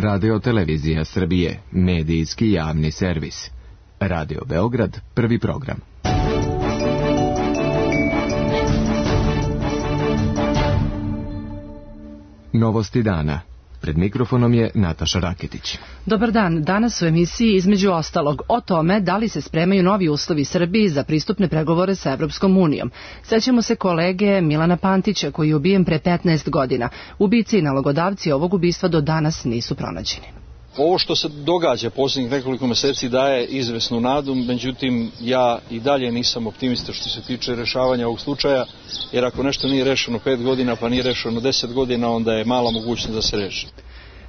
Radio-televizija Srbije, medijski javni servis. Radio Beograd, prvi program. Novosti dana. Pred mikrofonom je Nataša Raketić. Dobar dan. Danas u emisiji između ostalog o tome da li se spremaju novi uslovi Srbiji za pristupne pregovore sa Evropskom unijom. Sećamo se kolege Milana Pantića koji je ubijen pre 15 godina. Ubici i nalogodavci ovog ubistva do danas nisu pronađeni. Ovo što se događa posljednjih nekoliko meseci daje izvesnu nadu, međutim ja i dalje nisam optimista što se tiče rešavanja ovog slučaja, jer ako nešto nije rešeno 5 godina pa nije rešeno 10 godina, onda je mala mogućnost da se reši.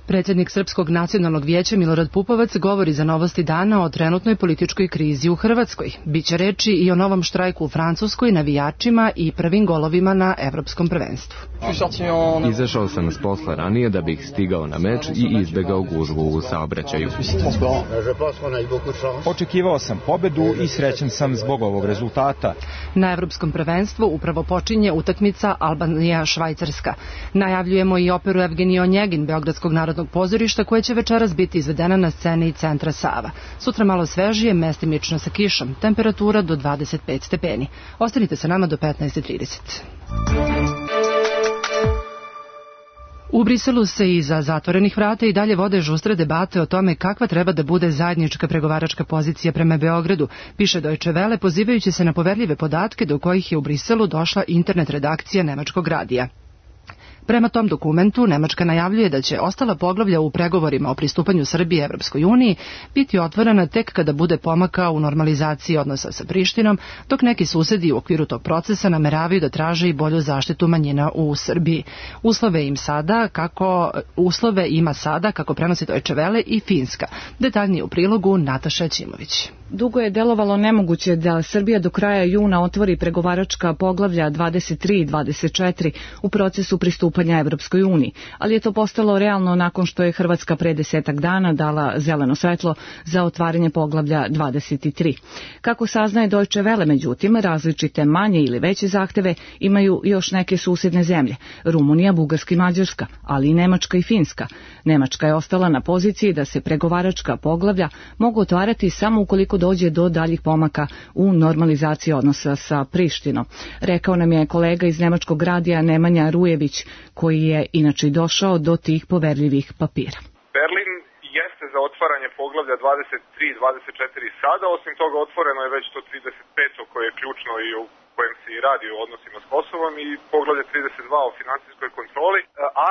Predsjednik Srpskog nacionalnog vijeća Milorad Pupovac govori za Novosti dana o trenutnoj političkoj krizi u Hrvatskoj. Biće reči i o novom štrajku u Francuskoj, navijačima i prvim golovima na evropskom prvenstvu. Izašao sam s posla ranije da bih stigao na meč i izbegao gužvu u saobraćaju. Očekivao sam pobedu i srećan sam zbog ovog rezultata. Na evropskom prvenstvu upravo počinje utakmica Albanija-Švajcarska. Najavljujemo i operu Evgenij Onjegin Beogradskog narodnog pozorišta koja će večeras biti izvedena na sceni centra Sava. Sutra malo svežije, mestimično sa kišom, temperatura do 25 stepeni. Ostanite sa nama do 15:30. U Briselu se iza zatvorenih vrata i dalje vode žustre debate o tome kakva treba da bude zajednička pregovaračka pozicija prema Beogradu, piše Deutsche Welle pozivajući se na poverljive podatke do kojih je u Briselu došla internet redakcija nemačkog radija. Prema tom dokumentu, Nemačka najavljuje da će ostala poglavlja u pregovorima o pristupanju Srbije Evropskoj uniji biti otvorena tek kada bude pomaka u normalizaciji odnosa sa Prištinom, dok neki susedi u okviru tog procesa nameravaju da traže i bolju zaštitu manjina u Srbiji. Uslove ima sada, kako prenosi Deutsche Welle, i Finska. Detaljnije u prilogu Nataša Ćimović. Dugo je delovalo nemoguće da Srbija do kraja juna otvori pregovaračka poglavlja 23 i 24 u procesu pristupanja Evropskoj uniji, ali je to postalo realno nakon što je Hrvatska pre 10 dana dala zeleno svetlo za otvaranje poglavlja 23. Kako saznaje Deutsche Welle, međutim, različite manje ili veće zahteve imaju još neke susedne zemlje, Rumunija, Bugarska i Mađarska, ali i Nemačka i Finska. Nemačka je ostala na poziciji da se pregovaračka poglavlja mogu otvarati samo ukoliko dođe do daljih pomaka u normalizaciji odnosa sa Prištinom. Rekao nam je kolega iz nemačkog radija Nemanja Rujević, koji je inače došao do tih poverljivih papira. Berlin jeste za otvaranje poglavlja 23 i 24 sada, osim toga otvoreno je već to 35. koje je ključno i u kojem se i radi o odnosima s Kosovom, i poglavlje 32 o financijskoj kontroli,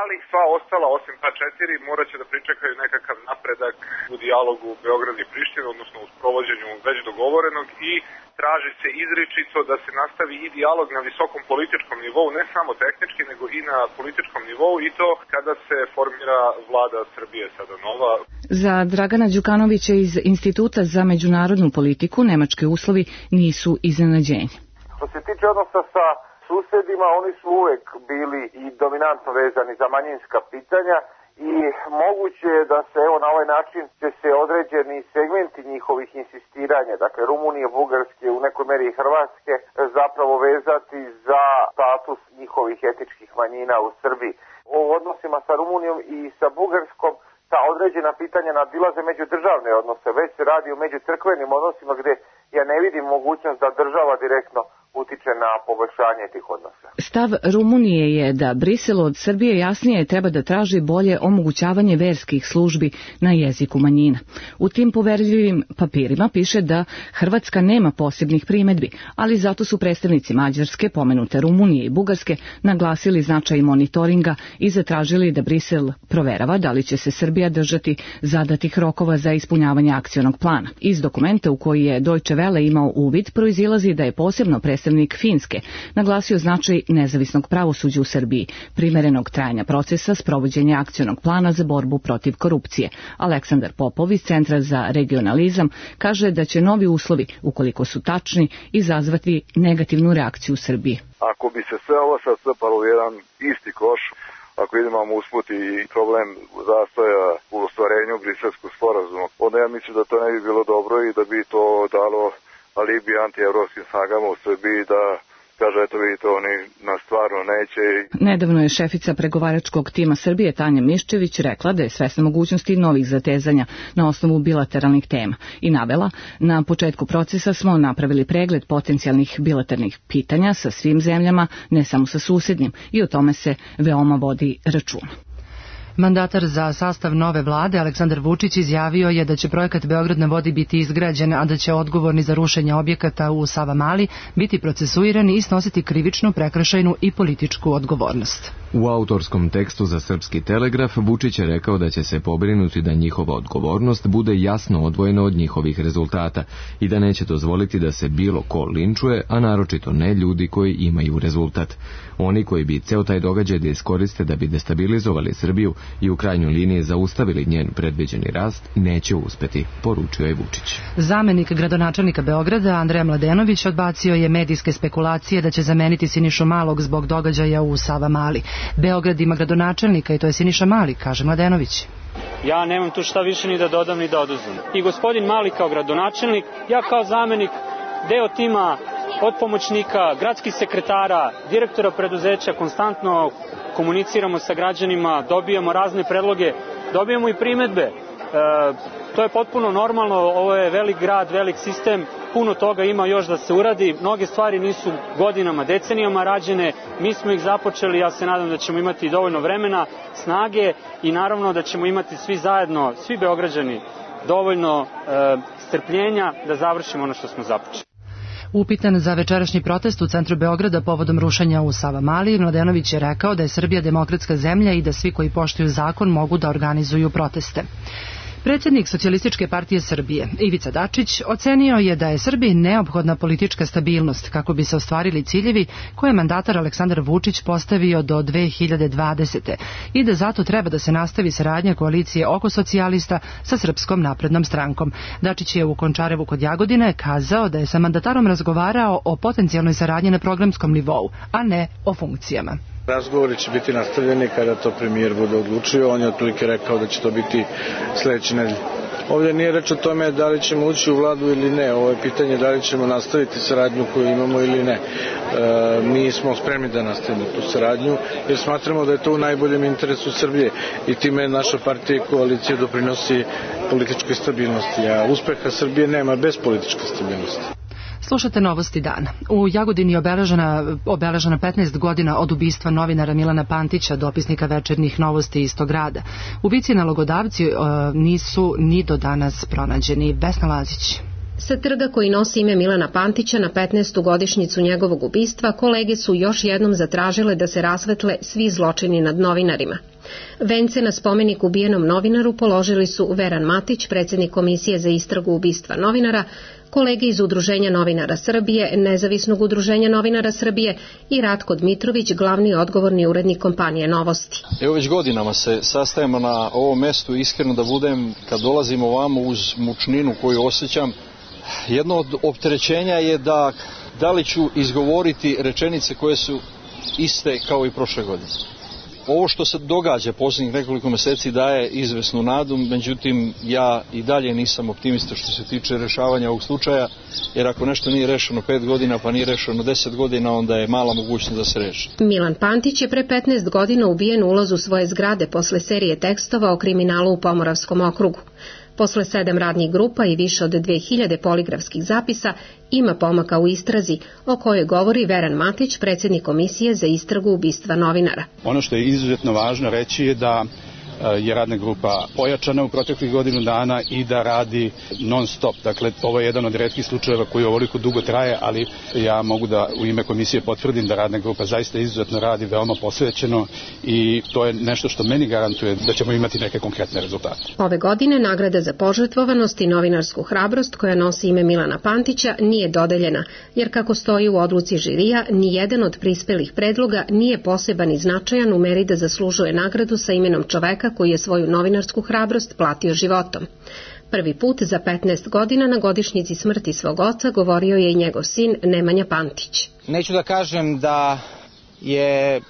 ali sva ostala osim ta 4 morat će da pričekaju nekakav napredak u dijalogu Beograd i Priština, odnosno u sprovođenju već dogovorenog, i traži se izričito da se nastavi i dijalog na visokom političkom nivou, ne samo tehnički, nego i na političkom nivou, i to kada se formira vlada Srbije sada nova. Za Dragana Đukanovića iz Instituta za međunarodnu politiku nemački uslovi nisu iznenađenje. Što se tiče odnosa sa susedima, oni su uvek bili i dominantno vezani za manjinska pitanja i moguće je da se na ovaj način će se određeni segmenti njihovih insistiranja, dakle Rumunije, Bugarske, u nekoj meri i Hrvatske, zapravo vezati za status njihovih etničkih manjina u Srbiji. O odnosima sa Rumunijom i sa Bugarskom ta određena pitanja nadilaze međudržavne odnose, već se radi o međucrkvenim odnosima gdje ja ne vidim mogućnost da država direktno utiče na poboljšanje tih odnosa. Stav Rumunije je da Brisel od Srbije jasnije treba da traži bolje omogućavanje verskih službi na jeziku manjina. U tim poverljivim papirima piše da Hrvatska nema posebnih primedbi, ali zato su predstavnici Mađarske, pomenute Rumunije i Bugarske, naglasili značaj monitoringa i zatražili da Brisel proverava da li će se Srbija držati zadatih rokova za ispunjavanje akcionog plana. Iz dokumenta u koji je Deutsche Welle imao uvid proizilazi da je posebno predstavnik Finske naglasio značaj nezavisnog pravosuđa u Srbiji, primerenog trajanja procesa, sprovođenja akcionog plana za borbu protiv korupcije. Aleksandar Popov iz Centra za regionalizam kaže da će novi uslovi, ukoliko su tačni, izazvati negativnu reakciju u Srbiji. Ako bi se sve ovo sad strpalo u jedan isti koš, ako idemo usput i problem zastoja u ostvarenju Briselskog sporazuma, onda ja mislim da to ne bi bilo dobro i da bi to dalo alibi antievropskim snagama u Srbiji da kaže, eto vidite, oni nas stvarno neće. Nedavno je šefica pregovaračkog tima Srbije Tanja Miščević rekla da je svesna mogućnosti novih zatezanja na osnovu bilateralnih tema i navela: na početku procesa smo napravili pregled potencijalnih bilateralnih pitanja sa svim zemljama, ne samo sa susednim, i o tome se veoma vodi računa. Mandatar za sastav nove vlade Aleksandar Vučić izjavio je da će projekat Beograd na vodi biti izgrađen, a da će odgovorni za rušenje objekata u Savamali biti procesuirani i snositi krivičnu, prekršajnu i političku odgovornost. U autorskom tekstu za Srpski telegraf Vučić je rekao da će se pobrinuti da njihova odgovornost bude jasno odvojena od njihovih rezultata i da neće dozvoliti da se bilo ko linčuje, a naročito ne ljudi koji imaju rezultat. Oni koji bi ceo taj događaj da iskoriste da bi destabilizovali Srbiju i u krajnjoj liniji zaustavili njen predviđeni rast, neće uspeti, poručio je Vučić. Zamenik gradonačelnika Beograda Andreja Mladenović odbacio je medijske spekulacije da će zameniti Sinišu Malog zbog događaja u Savamali. Beograd ima gradonačelnika i to je Siniša Mali, kaže Mladenović. Ja nemam tu šta više ni da dodam ni da oduzmem. I gospodin Mali kao gradonačelnik, ja kao zamenik, deo tima od pomoćnika, gradskih sekretara, direktora preduzeća, konstantno komuniciramo sa građanima, dobijamo razne predloge, dobijamo i primedbe. To je potpuno normalno, ovo je velik grad, velik sistem, puno toga ima još da se uradi, mnoge stvari nisu godinama, decenijama rađene, mi smo ih započeli, ja se nadam da ćemo imati dovoljno vremena, snage i naravno da ćemo imati svi zajedno, svi Beograđani, dovoljno strpljenja da završimo ono što smo započeli. Upitan za večerašnji protest u centru Beograda povodom rušenja u Savamali, Mladenović je rekao da je Srbija demokratska zemlja i da svi koji poštuju zakon mogu da organizuju proteste. Predsjednik Socijalističke partije Srbije, Ivica Dačić, ocenio je da je Srbiji neophodna politička stabilnost kako bi se ostvarili ciljevi koje je mandatar Aleksandar Vučić postavio do 2020. i da zato treba da se nastavi saradnja koalicije oko socijalista sa Srpskom naprednom strankom. Dačić je u Končarevu kod Jagodine kazao da je sa mandatarom razgovarao o potencijalnoj saradnji na programskom nivou, a ne o funkcijama. Razgovori će biti nastavljeni kada to premijer bude odlučio. On je otprilike rekao da će to biti sledeće nedelje. Ovdje nije reč o tome da li ćemo ući u vladu ili ne. Ovo je pitanje da li ćemo nastaviti saradnju koju imamo ili ne. Mi smo spremni da nastavimo tu saradnju jer smatramo da je to u najboljem interesu Srbije i time naša partija i koalicija doprinosi političkoj stabilnosti. A uspeha Srbije nema bez političke stabilnosti. Slušate Novosti dana. U Jagodini je obeležena 15 godina od ubistva novinara Milana Pantića, dopisnika Večernjih novosti iz tog grada. Ubici i nalogodavci nisu ni do danas pronađeni. Vesna Lazić. Sa trga koji nosi ime Milana Pantića na 15. godišnjicu njegovog ubistva, kolege su još jednom zatražile da se rasvetle svi zločini nad novinarima. Vence na spomenik ubijenom novinaru položili su Veran Matić, predsjednik Komisije za istragu ubistva novinara, kolege iz Udruženja novinara Srbije, Nezavisnog udruženja novinara Srbije i Ratko Dmitrović, glavni odgovorni urednik kompanije Novosti. Evo već godinama se sastajemo na ovom mestu, iskreno da budem, kad dolazimo ovamo uz mučninu koju osjećam, jedno od opterećenja je da li ću izgovoriti rečenice koje su iste kao i prošle godine. Ovo što se događa posljednjih nekoliko meseci daje izvesnu nadu, međutim ja i dalje nisam optimista što se tiče rešavanja ovog slučaja, jer ako nešto nije rešeno 5 godina pa nije rešeno 10 godina, onda je mala mogućnost da se reši. Milan Pantić je pre 15 godina ubijen u ulazu svoje zgrade posle serije tekstova o kriminalu u Pomoravskom okrugu. Posle 7 radnih grupa i više od 2000 poligrafskih zapisa ima pomaka u istrazi o kojoj govori Veran Matić, predsjednik Komisije za istragu ubistva novinara. Ono što je izuzetno važno reći je da je radna grupa pojačana u proteklih godinu dana i da radi non stop. Dakle, ovo je jedan od retkih slučajeva koji ovoliko dugo traje, ali ja mogu da u ime komisije potvrdim da radna grupa zaista izuzetno radi, veoma posvećeno i to je nešto što meni garantuje da ćemo imati neke konkretne rezultate. Ove godine nagrada za požrtvovanost i novinarsku hrabrost koja nosi ime Milana Pantića nije dodeljena, jer kako stoji u odluci žirija, ni jedan od prispelih predloga nije poseban i značajan u meri da zaslužuje nagradu sa imenom čoveka koji je svoju novinarsku hrabrost platio životom. Prvi put za 15 godina na godišnjici smrti svog oca govorio je i njegov sin Nemanja Pantić. Neću da kažem da je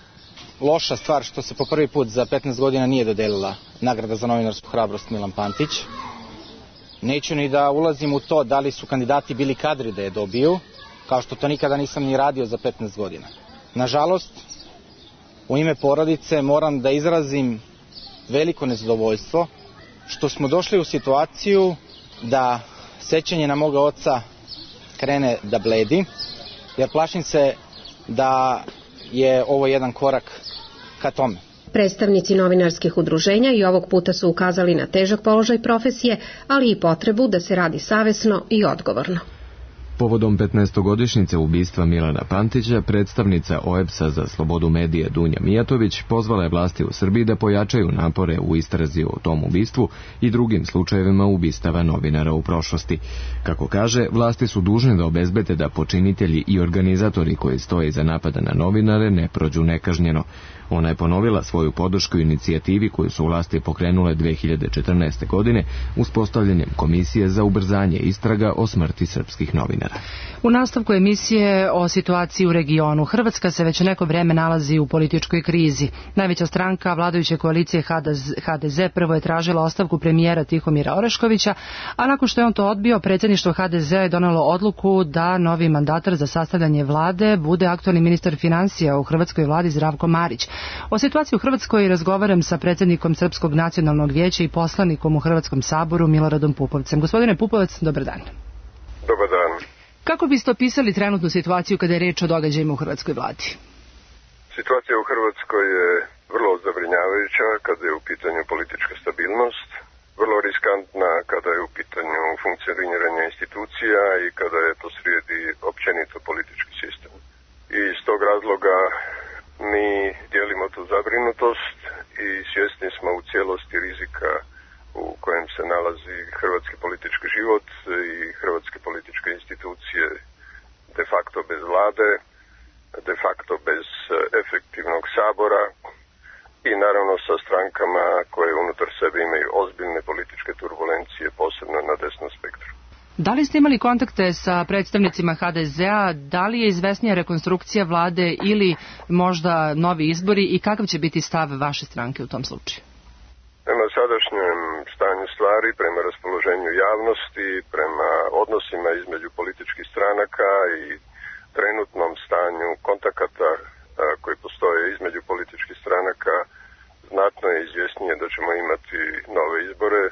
loša stvar što se po prvi put za 15 godina nije dodelila nagrada za novinarsku hrabrost Milan Pantić. Neću ni da ulazim u to da li su kandidati bili kadri da je dobiju. kao što to nikada nisam ni radio za 15 godina. Nažalost, u ime porodice moram da izrazim veliko nezadovoljstvo što smo došli u situaciju da sećanje na moga oca krene da bledi, jer plašim se da je ovo jedan korak ka tome. Predstavnici novinarskih udruženja i ovog puta su ukazali na težak položaj profesije, ali i potrebu da se radi savesno i odgovorno. Povodom 15-godišnjice ubistva Milana Pantića, predstavnica OEBS-a za slobodu medija Dunja Mijatović pozvala je vlasti u Srbiji da pojačaju napore u istrazi o tom ubistvu i drugim slučajevima ubistava novinara u prošlosti. Kako kaže, vlasti su dužne da obezbede da počinitelji i organizatori koji stoje iza napada na novinare ne prođu nekažnjeno. Ona je ponovila svoju podršku inicijativi koju su vlasti pokrenule 2014. godine uspostavljanjem Komisije za ubrzanje istraga o smrti srpskih novinara. U nastavku emisije o situaciji u regionu, Hrvatska se već neko vreme nalazi u političkoj krizi. Najveća stranka vladajuće koalicije HDZ prvo je tražila ostavku premijera Tihomira Oreškovića, a nakon što je on to odbio, predsjedništvo HDZ-a je donelo odluku da novi mandatar za sastavljanje vlade bude aktualni ministar financija u hrvatskoj vladi Zdravko Marić. O situaciji u Hrvatskoj razgovaram sa predsjednikom Srpskog nacionalnog vijeća i poslanikom u Hrvatskom saboru Miloradom Pupovcem. Gospodine Pupovac, dobar dan. Dobar dan. Kako biste opisali trenutnu situaciju kada je reč o događajima u hrvatskoj vladi? Situacija u Hrvatskoj je vrlo zabrinjavajuća kada je u pitanju politička stabilnost, vrlo riskantna kada je u pitanju funkcioniranje institucija i kada je posrijedi općenito politički sistem. I iz tog razloga mi dijelimo tu zabrinutost i svjesni smo u cijelosti rizika u kojem se nalazi hrvatski politički život i hrvatske političke institucije de facto bez vlade, de facto bez efektivnog sabora i naravno sa strankama koje unutar sebe imaju ozbiljne političke turbulencije, posebno na desnom spektru. Da li ste imali kontakte sa predstavnicima HDZ-a, da li je izvesnija rekonstrukcija vlade ili možda novi izbori i kakav će biti stav vaše stranke u tom slučaju? Prema sadašnjem stanju stvari, prema raspoloženju javnosti, prema odnosima između političkih stranaka i trenutnom stanju kontakata koji postoje između političkih stranaka, znatno je izvjesnije da ćemo imati nove izbore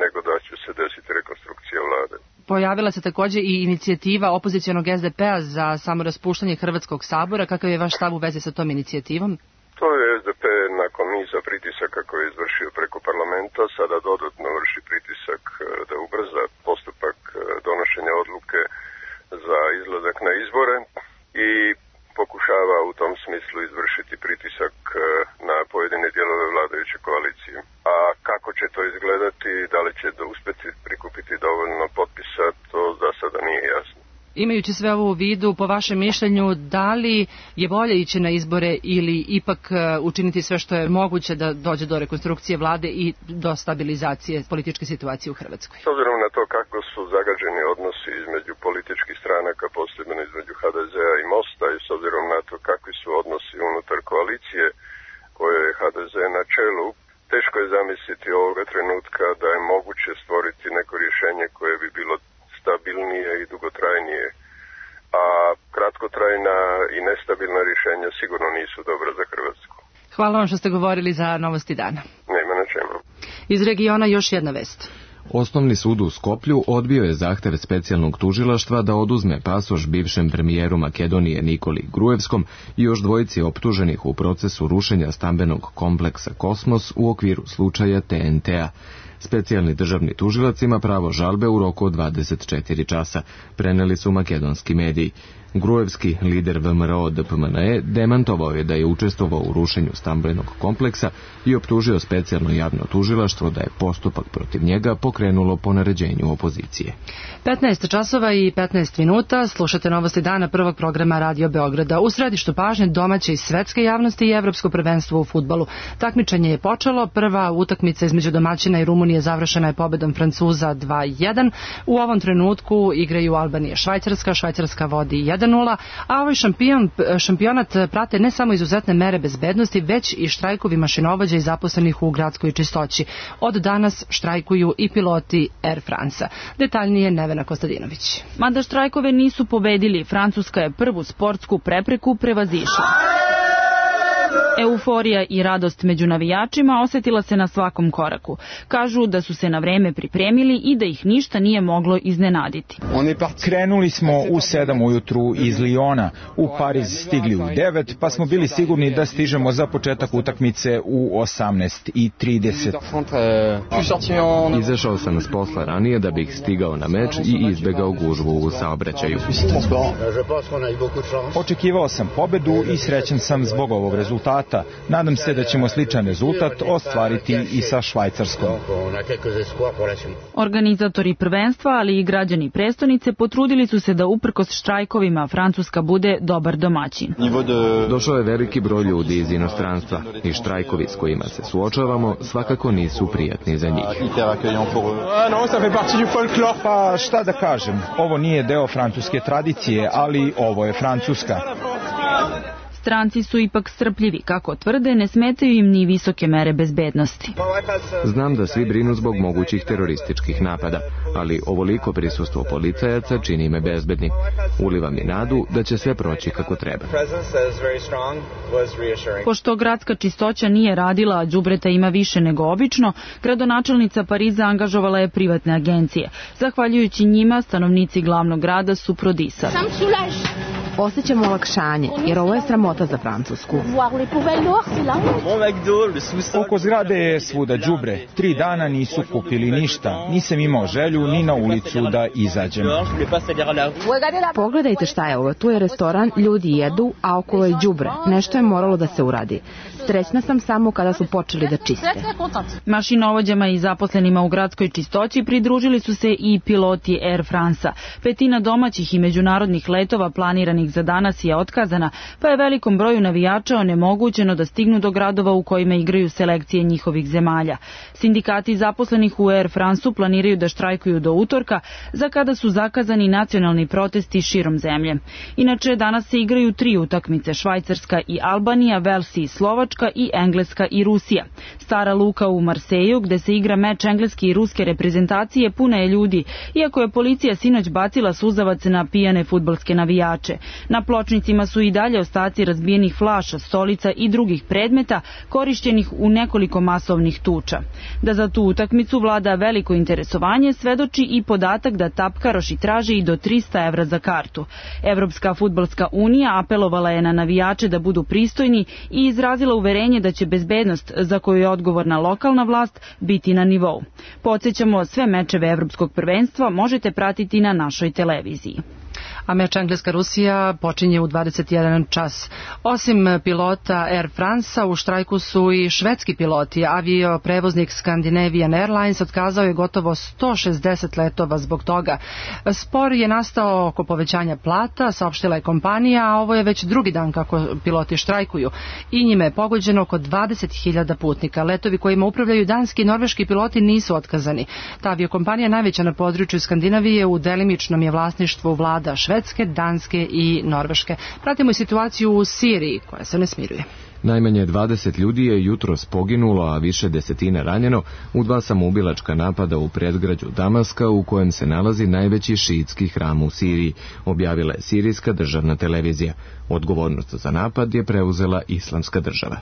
nego da će se desiti rekonstrukcija vlade. Pojavila se također i inicijativa opozicionog SDP-a za samoraspuštanje Hrvatskog sabora. Kakav je vaš stav u vezi sa tom inicijativom? To je SDP nakon niza pritisaka koje je izvršio preko parlamenta sada dodatno vrši pritisak da ubrza postupak donošenja odluke za izlazak na izbore i pokušava u tom smislu izvršiti pritisak na pojedine dijelove vladajuće koalicije. A kako će to izgledati, da li će uspjeti prikupiti dovoljno potpisa, to za sada nije jasno. Imajući sve ovo u vidu, po vašem mišljenju, da li je bolje ići na izbore ili ipak učiniti sve što je moguće da dođe do rekonstrukcije vlade i do stabilizacije političke situacije u Hrvatskoj? S obzirom na to kako su zagađeni odnosi između političkih stranaka, posebno između HDZ-a i Mosta i s obzirom na to kakvi su odnosi unutar koalicije koje je HDZ na čelu, teško je zamisliti ovoga trenutka da je moguće stvoriti neko rješenje koje bi bilo stabilnije i dugotrajnije, a kratkotrajna i nestabilna rješenja sigurno nisu dobra za Hrvatsku. Hvala vam što ste govorili za Novosti dana. Nema na čemu. Iz regiona još jedna vest. Osnovni sud u Skoplju odbio je zahtev specijalnog tužilaštva da oduzme pasoš bivšem premijeru Makedonije Nikoli Gruevskom i još dvojici optuženih u procesu rušenja stambenog kompleksa Kosmos u okviru slučaja TNT-a. Specijalni državni tužilac ima pravo žalbe u roku od 24 časa, preneli su makedonski mediji. Gruevski, lider VMRO DPMNE, demantovao je da je učestvovao u rušenju stambenog kompleksa i optužio specijalno javno tužilaštvo da je postupak protiv njega pokrenulo po naređenju opozicije. 15 časova i 15 minuta, slušate Novosti dana prvog programa Radio Beograda. U središtu pažnje domaće i svetske javnosti i evropsko prvenstvo u fudbalu. Takmičenje je počelo, prva utakmica između domaćina i Rumunije završena je pobedom Francuza 2-1. U ovom trenutku igraju Albanija i Švajcarska, Švajcarska vodi 1-0, 1:0, a ovaj šampionat prate ne samo izuzetne mere bezbednosti, već i štrajkovi mašinovođa i zaposlenih u gradskoj čistoći. Od danas štrajkuju i piloti Air France-a. Detaljnije Nevena Kostadinović. Mada štrajkove nisu pobedili, Francuska je prvu sportsku prepreku prevazišla. Euforija i radost među navijačima osjetila se na svakom koraku. Kažu da su se na vreme pripremili i da ih ništa nije moglo iznenaditi. Krenuli smo u 7 ujutru iz Liona, u Pariz stigli u 9, pa smo bili sigurni da stižemo za početak utakmice u 18:30. Izašao sam s posla ranije da bih stigao na meč i izbegao gužvu u saobraćaju. Očekivao sam pobedu i srećan sam zbog ovog rezultata. Nadam se da ćemo sličan rezultat ostvariti i sa Švajcarskom. Organizatori prvenstva, ali i građani prestonice potrudili su se da uprkos štrajkovima Francuska bude dobar domaćin. Došao je veliki broj ljudi iz inostranstva i štrajkovi s kojima se suočavamo svakako nisu prijatni za njih. Pa šta da kažem, ovo nije deo francuske tradicije, ali ovo je Francuska. Stranci su ipak strpljivi, kako tvrde, ne smetaju im ni visoke mere bezbednosti. Znam da svi brinu zbog mogućih terorističkih napada, ali ovoliko prisustvo policajaca čini me bezbednim. Uliva mi nadu da će sve proći kako treba. Pošto gradska čistoća nije radila, a đubreta ima više nego obično, gradonačelnica Pariza angažovala je privatne agencije. Zahvaljujući njima, stanovnici glavnog grada su prodisali. Osjećamo olakšanje, jer ovo je sramota za Francusku. Oko zgrade je svuda đubre. 3 dana nisu kupili ništa. Nisam imao želju ni na ulicu da izađem. Pogledajte šta je ovo. Tu je restoran, ljudi jedu, a okolo je đubre. Nešto je moralo da se uradi. Srećna sam samo kada su počeli da čiste. Mašinovođama i zaposlenima u gradskoj čistoći pridružili su se i piloti Air France-a. 1/5 domaćih i međunarodnih letova planiranih za danas je otkazana, pa je velikom broju navijača onemogućeno da stignu do gradova u kojima igraju selekcije njihovih zemalja. Sindikati zaposlenih u Air France-u planiraju da štrajkuju do utorka, za kada su zakazani nacionalni protesti širom zemlje. Inače, danas se igraju 3 utakmice, Švajcarska i Albanija, Velsi i Slovačka i Engleska i Rusija. Stara luka u Marseju, gde se igra meč engleske i ruske reprezentacije, puna je ljudi, iako je policija sinoć bacila suzavac na pijane fudbalske navijače. Na pločnicima su i dalje ostaci razbijenih flaša, stolica i drugih predmeta korišćenih u nekoliko masovnih tuča. Da za tu utakmicu vlada veliko interesovanje svedoči i podatak da tapkaroši traže i do 300 evra za kartu. Evropska fudbalska unija apelovala je na navijače da budu pristojni i izrazila uverenje da će bezbednost, za koju je odgovorna lokalna vlast, biti na nivou. Podsjećamo, sve mečeve Evropskog prvenstva možete pratiti na našoj televiziji. A meč Engleska-Rusija počinje u 21 čas. Osim pilota Air France-a, u štrajku su i švedski piloti. Avioprevoznik Scandinavian Airlines otkazao je gotovo 160 letova zbog toga. Spor je nastao oko povećanja plata, saopštila je kompanija, a ovo je već drugi dan kako piloti štrajkuju. I njime je pogođeno oko 20.000 putnika. Letovi kojima upravljaju danski i norveški piloti nisu otkazani. Ta aviokompanija najveća na području Skandinavije, u delimičnom je vlasništvu vlada Švedske, Danske i Norveške. Pratimo i situaciju u Siriji, koja se ne smiruje. Najmanje 20 ljudi je jutros poginulo, a više desetina ranjeno u 2 samoubilačka napada u predgrađu Damaska, u kojem se nalazi najveći šiitski hram u Siriji, objavila je sirijska državna televizija. Odgovornost za napad je preuzela Islamska država.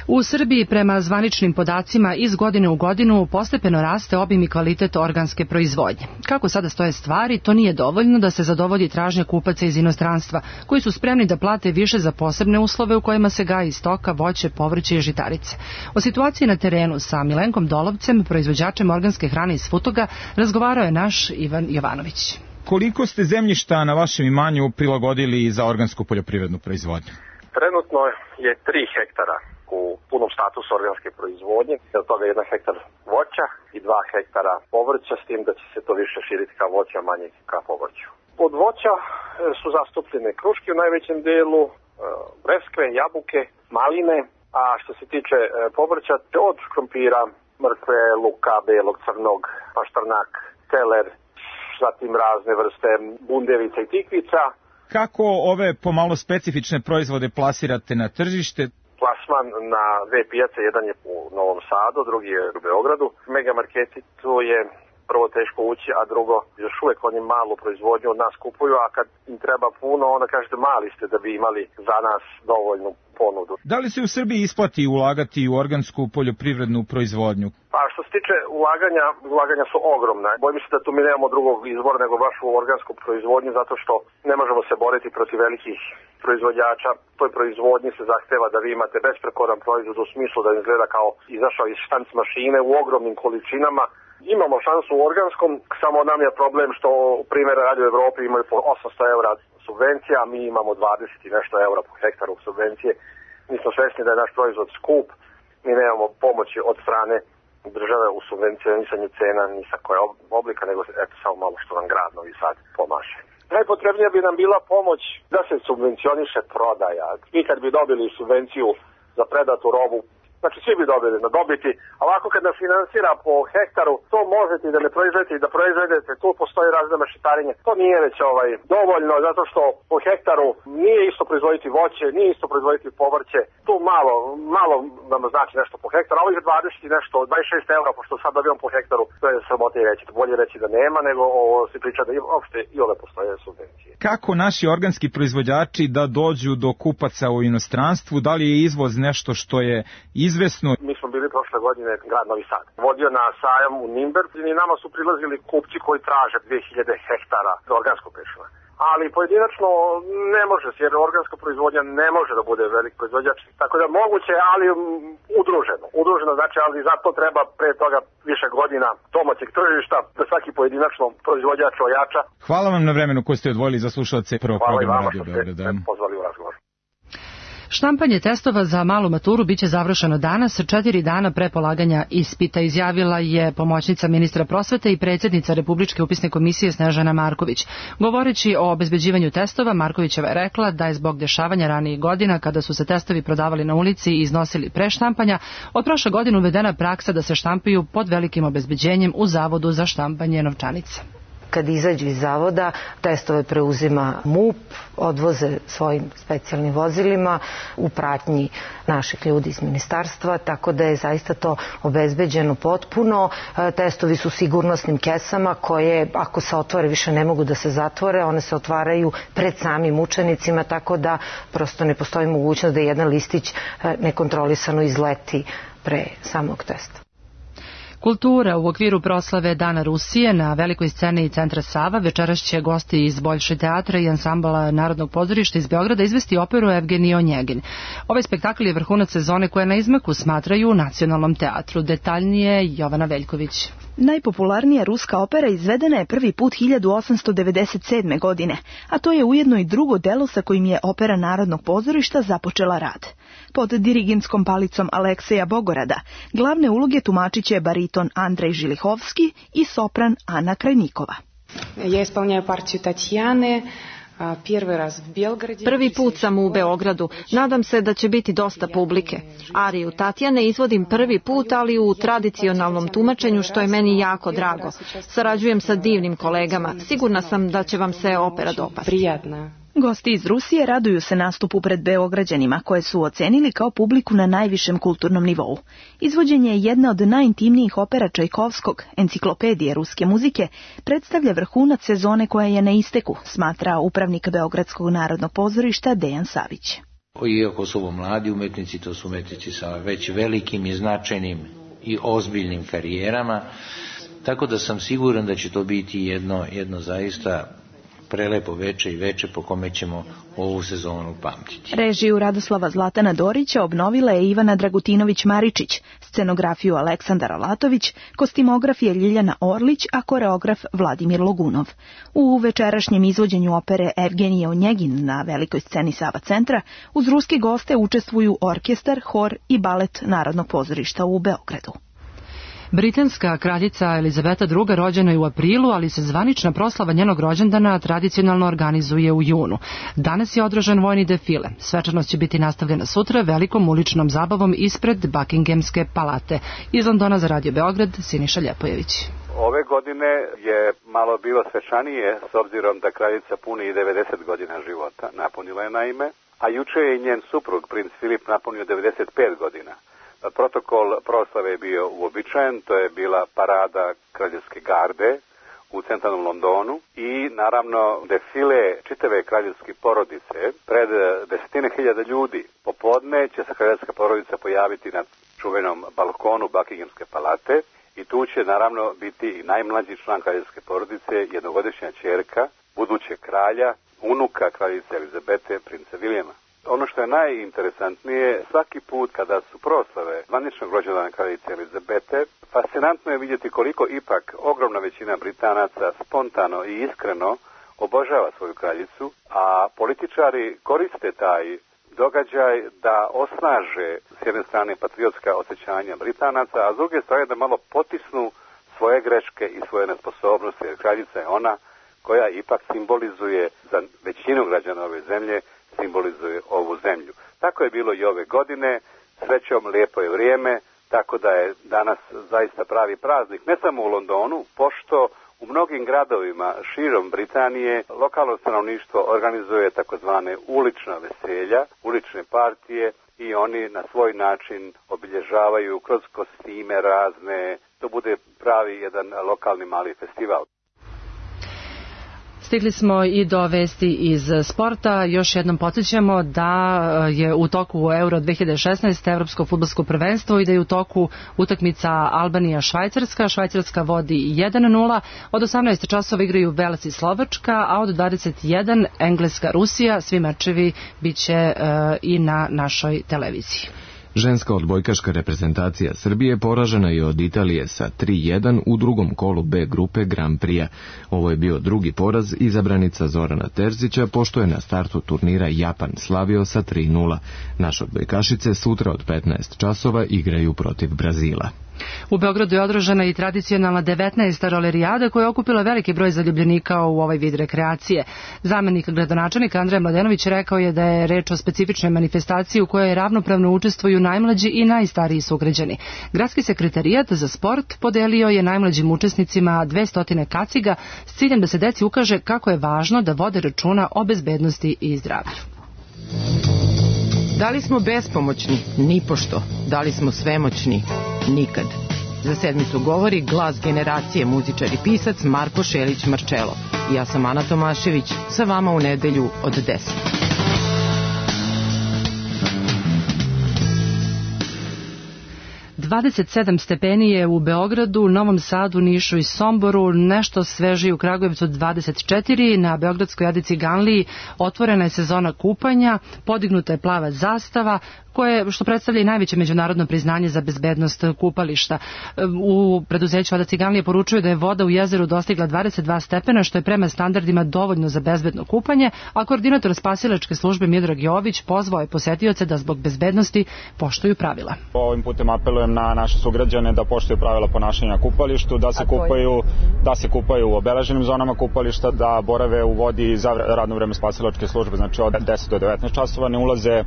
U Srbiji, prema zvaničnim podacima, iz godine u godinu postepeno raste obim i kvalitet organske proizvodnje. Kako sada stoje stvari, to nije dovoljno da se zadovolji tražnja kupaca iz inostranstva, koji su spremni da plate više za posebne uslove u kojima se gaji stoka, voće, povrće i žitarice. O situaciji na terenu sa Milenkom Dolovcem, proizvođačem organske hrane iz Futoga, razgovarao je naš Ivan Jovanović. Koliko ste zemljišta na vašem imanju prilagodili za organsku poljoprivrednu proizvodnju? Trenutno je 3 hektara u punom statusu organske proizvodnje, od toga 1 hektar voća i 2 hektara povrća, s tim da će se to više širiti ka voću, a manje ka povrću. Od voća su zastupljene kruške u najvećem delu, breskve, jabuke, maline, a što se tiče povrća, od krompira, mrkve, luka, belog, crnog, paštrnak, celer, zatim razne vrste bundevica i tikvica. Kako ove pomalo specifične proizvode plasirate na tržište? Plasman na dve pijace, jedan je u Novom Sadu, drugi je u Beogradu. Megamarketi tu je prvo teško ući, a drugo, još uvek oni malu proizvodnju od nas kupuju, a kad im treba puno, onda kažete mali ste da bi imali za nas dovoljnu ponudu. Da li se u Srbiji isplati ulagati u organsku poljoprivrednu proizvodnju? Pa što se tiče ulaganja su ogromna. Bojim se da tu mi nemamo drugog izbora nego baš u organsku proizvodnju, zato što ne možemo se boriti protiv velikih proizvođača. Toj proizvodnji se zahteva da vi imate besprekoran proizvod u smislu da izgleda kao izašao iz štanc mašine u ogromnim količinama. Imamo šansu u organskom, samo nam je problem što primjer radi u Evropi imaju po 800 € subvencija, a mi imamo 20 i nešto eura po hektaru subvencije. Mi smo svesni da je naš proizvod skup, mi nemamo pomoći od strane države u subvencionisanju cena ni sa koje oblika, nego eto samo malo što nam grad Novi Sad pomaže. Najpotrebnija bi nam bila pomoć da se subvencioniše prodaja. Mi kad bi dobili subvenciju za predatu robu, znači svi bi dobili na dobiti, a ovako kad nas finansira po hektaru, to možete i da ne proizvedete i da proizvedete, tu postoji razne mešetarenje. To nije već dovoljno, zato što po hektaru nije isto proizvoditi voće, nije isto proizvoditi povrće. Tu malo nam znači nešto po hektaru, a ovih 20 i nešto, 26 € pošto sad dobijam po hektaru, to je sramota i reći. Bolje reći da nema, nego se priča da uopšte i ove postoje subvencije. Kako naši organski proizvođači da dođu do kupaca u inostranstvu? Da li je izvoz nešto što je izvesno? Mi smo bili prošle godine grad Novi Sad. Vodio na sajam u Nimberg i nama su prilazili kupci koji traže 2000 hektara organskog pešuna. Ali pojedinačno ne može, jer organska proizvodnja ne može da bude velik proizvođač. Tako da moguće, ali udruženo. Udruženo znači, ali zato treba pre toga više godina domaćeg tržišta da svaki pojedinačno proizvođač ojača. Hvala vam na vremenu koje ste odvojili za slušalce prvog programa Radio Beograda. Hvala i vama što ste pozvali u razgovor. Štampanje testova za malu maturu biće završeno danas, 4 dana pre polaganja ispita, izjavila je pomoćnica ministra prosvete i predsjednica Republičke upisne komisije Snežana Marković. Govoreći o obezbeđivanju testova, Markovićeva je rekla da je zbog dešavanja ranijih godina, kada su se testovi prodavali na ulici i iznosili pre štampanja, od prošle godine uvedena praksa da se štampaju pod velikim obezbeđenjem u Zavodu za štampanje novčanica. Kad izađu iz zavoda, testove preuzima MUP, odvoze svojim specijalnim vozilima u pratnji naših ljudi iz ministarstva, tako da je zaista to obezbeđeno potpuno. Testovi su sigurnosnim kesama koje, ako se otvore, više ne mogu da se zatvore. One se otvaraju pred samim učenicima, tako da prosto ne postoji mogućnost da jedan listić nekontrolisano izleti pre samog testa. Kultura u okviru proslave Dana Rusije na velikoj sceni Centra Sava večeras će gosti iz Boljše teatra i ansambla Narodnog pozorišta iz Beograda izvesti operu Evgenij Onjegin. Ovaj spektakl je vrhunac sezone koja na izmaku smatraju u Nacionalnom teatru. Detaljnije Jovana Veljković. Najpopularnija ruska opera izvedena je prvi put 1897. godine, a to je ujedno i drugo delo sa kojim je Opera Narodnog pozorišta započela rad. Pod dirigentskom palicom Alekseja Bogorada glavne uloge tumačit će bariton Andrej Žilihovski i sopran Ana Krajnikova. Ja ispoljnjaju partiju Tatjane. Prvi put sam u Beogradu. Nadam se da će biti dosta publike. Ariju Tatjane izvodim prvi put, ali u tradicionalnom tumačenju, što je meni jako drago. Sarađujem sa divnim kolegama. Sigurna sam da će vam se opera dopasti. Gosti iz Rusije raduju se nastupu pred Beograđanima, koje su ocenili kao publiku na najvišem kulturnom nivou. Izvođenje je jedna od najintimnijih opera Čajkovskog, enciklopedije ruske muzike, predstavlja vrhunac sezone koja je na isteku, smatra upravnik Beogradskog narodnog pozorišta Dejan Savić. Iako su ovo mladi umetnici, to su umetnici sa već velikim i značajnim i ozbiljnim karijerama, tako da sam siguran da će to biti jedno zaista prelepo veče i veče po kome ćemo ovu sezonu pamtiti. Režiju Radoslava Zlatana Dorića obnovila je Ivana Dragutinović-Maričić, scenografiju Aleksandar Olatović, kostimograf je Ljiljana Orlić, a koreograf Vladimir Logunov. U večerašnjem izvođenju opere Evgenij Onjegin na velikoj sceni Sava centra uz ruske goste učestvuju orkestar, hor i balet Narodnog pozorišta u Beogradu. Britanska kraljica Elizabeta II. Rođena je u aprilu, ali se zvanična proslava njenog rođendana tradicionalno organizuje u junu. Danas je održan vojni defile. Svečanost će biti nastavljena sutra velikom uličnom zabavom ispred Buckinghamske palate. Iz Londona za Radio Beograd, Siniša Ljepojević. Ove godine je malo bilo svečanije s obzirom da kraljica puni i 90 godina života, napunila je naime, a juče je i njen suprug, princ Filip, napunio 95 godina. Protokol proslave je bio uobičajen, to je bila parada kraljevske garde u centralnom Londonu i naravno defile čitave kraljevske porodice pred desetine hiljada ljudi. Popodne će se kraljevska porodica pojaviti na čuvenom balkonu Buckinghamske palate i tu će naravno biti i najmlađi član kraljevske porodice, jednogodišnja ćerka, budućeg kralja, unuka kraljice Elizabete, princa Vilijama. Ono što je najinteresantnije, svaki put kada su proslave zvaničnog rođendana kraljice Elizabete, fascinantno je vidjeti koliko ipak ogromna većina Britanaca spontano i iskreno obožava svoju kraljicu, a političari koriste taj događaj da osnaže s jedne strane patriotska osjećanja Britanaca, a s druge strane da malo potisnu svoje greške i svoje nesposobnosti, jer kraljica je ona koja ipak simbolizuje za većinu građana ove zemlje, simbolizuje ovu zemlju. Tako je bilo i ove godine, srećom lijepo je vrijeme, tako da je danas zaista pravi praznik, ne samo u Londonu, pošto u mnogim gradovima širom Britanije lokalno stanovništvo organizuje takozvane ulična veselja, ulične partije i oni na svoj način obilježavaju kroz kostime razne, to bude pravi jedan lokalni mali festival. Stigli smo i do vesti iz sporta. Još jednom podsjećamo da je u toku Euro 2016 Evropsko fudbalsko prvenstvo i da je u toku utakmica Albanija-Švajcarska. Švajcarska vodi 1-0. Od 18 časova igraju Vels i Slovačka, a od 21 Engleska-Rusija. Svi mečevi bit će i na našoj televiziji. Ženska odbojkaška reprezentacija Srbije poražena je od Italije sa 3-1 u drugom kolu B grupe Grand Prix-a. Ovo je bio drugi poraz izabranica Zorana Terzića, pošto je na startu turnira Japan slavio sa 3-0. Naše odbojkašice sutra od 15 časova igraju protiv Brazila. U Beogradu je održana i tradicionalna 19. rolerijada koja je okupila veliki broj zaljubljenika u ovaj vid rekreacije. Zamenik gradonačelnika Andreja Mladenović rekao je da je reč o specifičnoj manifestaciji u kojoj ravnopravno učestvuju najmlađi i najstariji sugrađani. Gradski sekretarijat za sport podelio je najmlađim učesnicima 200 kaciga s ciljem da se deci ukaže kako je važno da vode računa o bezbednosti i zdravlju. Da li smo bespomoćni? Nipošto. Da li smo svemoćni? Nikad. Za sedmicu govori glas generacije, muzičar i pisac Marko Šelić-Marčelo. Ja sam Ana Tomašević, sa vama u nedelju od 10. 27 stepeni je u Beogradu, Novom Sadu, Nišu i Somboru, nešto sveži u Kragujevcu 24, na Beogradskoj Adi Ciganliji otvorena je sezona kupanja, podignuta je plava zastava, što predstavlja i najveće međunarodno priznanje za bezbednost kupališta. U preduzeću Ada Ciganlije poručuju da je voda u jezeru dostigla 22 stepena, što je prema standardima dovoljno za bezbedno kupanje, a koordinator spasilačke službe Miodrag Jović pozvao je posetioce da zbog bezbednosti poštuju pravila. Ovim putem apelujem na naše sugrađane da poštuju pravila ponašanja na kupalištu, da se kupaju u obeleženim zonama kupališta, da borave u vodi za radno vreme spasilačke službe, znači od 10 do 19 časova, ne ulaze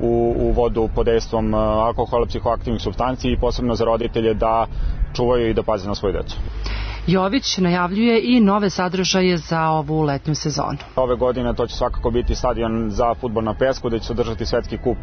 u vodu pod dejstvom alkohola, psihoaktivnih supstanci i posebno za roditelje da čuvaju i da paze na svoju decu. Jović najavljuje i nove sadržaje za ovu letnju sezonu. Ove godine to će svakako biti stadion za fudbal na pesku, gde će se održati svetski kup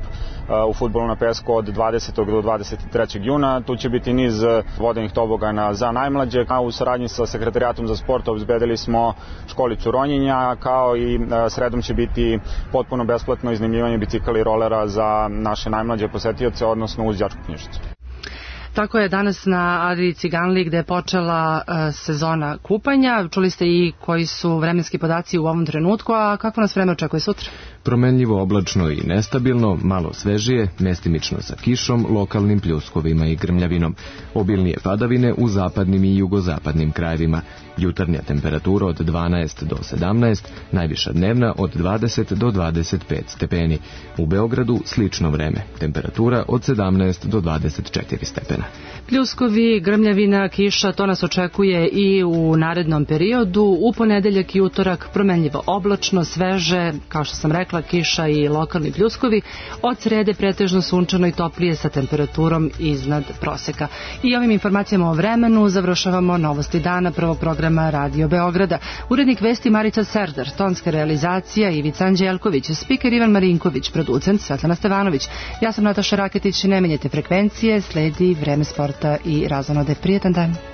u fudbalu na pesku od 20. do 23. juna. Tu će biti niz vodenih tobogana za najmlađe. U saradnji sa sekretarijatom za sport obezbedili smo školicu ronjenja, kao i sredom će biti potpuno besplatno iznajmljivanje bicikala i rolera za naše najmlađe posetioce, odnosno uz đačku knjižicu. Tako je danas na Adi Ciganliji gde je počela sezona kupanja. Čuli ste i koji su vremenski podaci u ovom trenutku, a kako nas vreme očekuje sutra? Promenljivo, oblačno i nestabilno, malo svežije, mestimično sa kišom, lokalnim pljuskovima i grmljavinom. Obilnije padavine u zapadnim i jugozapadnim krajevima. Jutarnja temperatura od 12 do 17, najviša dnevna od 20 do 25 stepeni. U Beogradu slično vreme, temperatura od 17 do 24 stepena. Pljuskovi, grmljavina, kiša, to nas očekuje i u narednom periodu. U ponedeljak i utorak promenljivo oblačno, sveže, kao što sam rekla, megla, kiša i lokalni pljuskovi. Od srede pretežno sunčano i toplije sa temperaturom iznad proseka. I ovim informacijama o vremenu završavamo novosti dana prvog programa Radio Beograda. Urednik vesti Marica Serdar, tonska realizacija Ivica Anđelković, spiker Ivan Marinković, producent Svetlana Stevanović. Ja sam Nataša Raketić, ne menjajte frekvencije, sledi Vreme sporta i razonode. Prijetan dan.